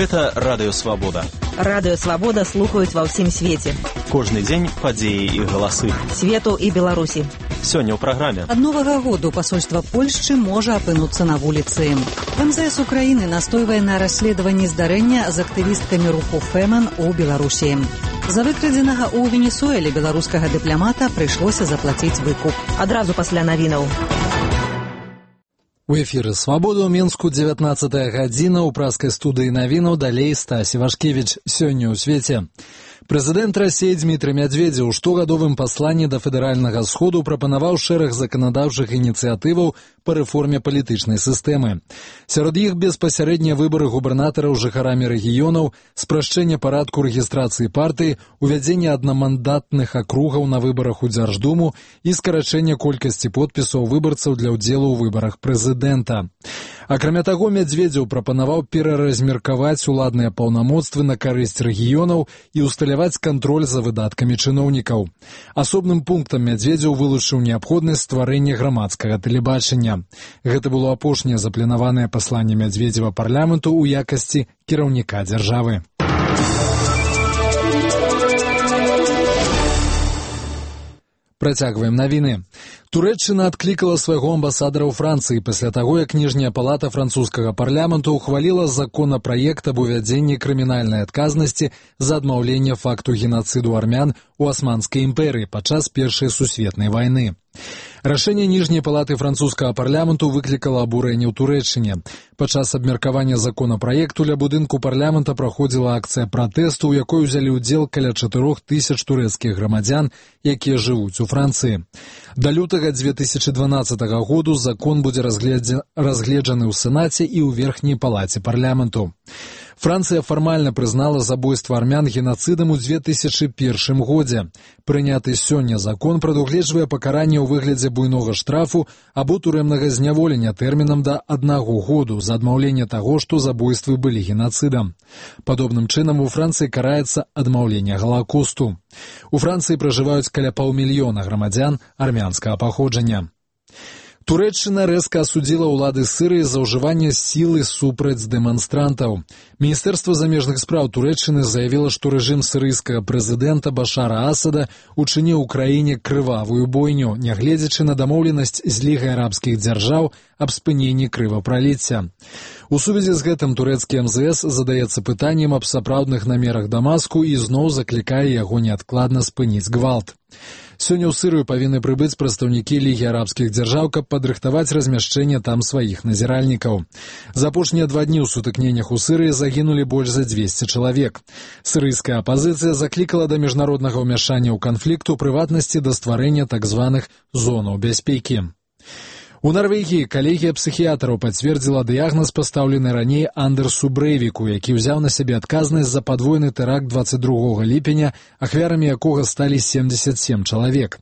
Гэта Радыё Свабода. Радыё Свабода слухаюць ва ўсім свеце. Кожны дзень падзеі і галасы. Свету і Беларусі. Сёння ў праграме. Ад новага году пасольства Польшчы можа апынуцца на вуліцы. МЗС Украіны настойвае на расследаванні здарэння з актывісткамі руху Фемэн у Беларусі. За выкрадзенага ў Венесуэле беларускага дыпламата прыйшлося заплаціць выкуп. Адразу пасля навінаў. У эфіры «Свабода» ў Мінску 19 гадзіна. У праскай студыі навінаў далей Стась Івашкевіч. Сёння ў свеце. Прэзідэнт Расіі Дмітрый Медведзеў у штогадовым пасланні да федэральнага сходу прапанаваў шэраг заканадаўчых ініцыятываў па рэформе палітычнай сістэмы. Сярод іх беспасярэднія выбары губернатараў жыхарамі рэгіёнаў, спрашчэнне парадку рэгістрацыі партыі, увядзенне аднамандатных акругаў на выбарах у Дзярждуму і скарачэнне колькасці подпісаў выбарцаў для ўдзелу ў выбарах прэзідэнта. Акрамя таго, Медведзеў прапанаваў пераразмеркаваць уладныя паўнамоцтвы на карысць рэгіёнаў і усталяваць кантроль за выдаткамі чыноўнікаў. Асобным пунктам Медведзеў вылучыў неабходнасць стварэння грамадскага тэлебачання. Гэта было апошняе запланаванае пасланне Медведзева парламенту ў якасці кіраўніка дзяржавы. Працягваем навіны. Турэччына адклікала свайго амбасадара ў Францыі пасля таго, як ніжняя палата французскага парламенту ўхваліла законапраект аб увядзенні крымінальнай адказнасці за адмаўленне факту генацыду армян у Асманскай імперыі падчас Першай сусветнай вайны. Рашэнне ніжняй палаты французскага парламенту выклікала абурэнне ў Турэччыне. Падчас абмеркавання законапраекту ля будынку парламента праходзіла акцыя пратэсту, у якой узялі ўдзел каля 4000 турэцкіх грамадзян, якія жывуць у Францыі. Да лютага 2012 году закон будзе разгледжаны ў Сенаце і ў верхняй палаце парламенту. Францыя фармальна прызнала забойства армян генацыдам у 2001 годзе. Прыняты сёння закон прадугледжвае пакаранне ў выглядзе буйнога штрафу або турэмнага зняволення тэрмінам да 1 году за адмаўленне таго, што забойствы былі генацыдам. Падобным чынам у Францыі караецца адмаўленне галакосту. У Францыі пражываюць каля 500 000 грамадзян армянскага паходжання. Турэччына рэзка асудзіла ўлады Сірыі за ўжыванне сілы супраць дэманстрантаў. Міністэрства замежных спраў Турэччыны заявіла, што рэжым сірыйскага прэзідэнта Башара Асада учыніў у краіне крывавую бойню, нягледзячы на дамоўленасць з Лігай арабскіх дзяржаў аб спыненні крывапраліцця. У сувязі з гэтым турэцкі МЗС задаецца пытаннем аб сапраўдных намерах Дамаску і зноў заклікае яго неадкладна спыніць гвалт. Сёння ў Сірыю павінны прыбыць прадстаўнікі Лігі арабскіх дзяржаў, каб падрыхтаваць размяшчэнне там сваіх назіральнікаў. За апошнія 2 дні ў сутыкненнях у Сірыі загінулі больш за 200 чалавек. Сірыйская апазіцыя заклікала да міжнароднага ўмяшання ў канфлікт, у прыватнасці да стварэння так званых зонаў бяспекі. У Нарвегіі калегія псіхіятраў пацвердзіла дыягназ, пастаўлены раней Андерсу Брэйвіку, які ўзяў на сябе адказнасць за падвойны тэракт 22 ліпеня, ахвярамі якога сталі 77 чалавек.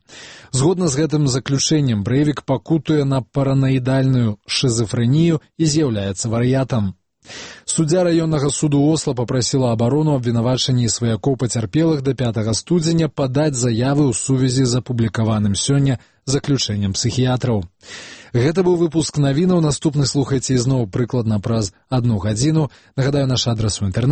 Згодна з гэтым заключэннем, Брэйвік пакутуе на параноідальную шызафрэнію і з'яўляецца вар'ятам. Суддзя раённага суду Осла папрасіла абарону абвінавачанні сваякоў пацярпелых да 5 студзеня падаць заявы ў сувязі з апублікаваным сёння заключэннем псіхіятраў. Гэта быў выпуск навінаў. Наступны слухайце ізноў прыкладна праз 1 гадзіну. Нагадаю, наш адрас у інтэрнэце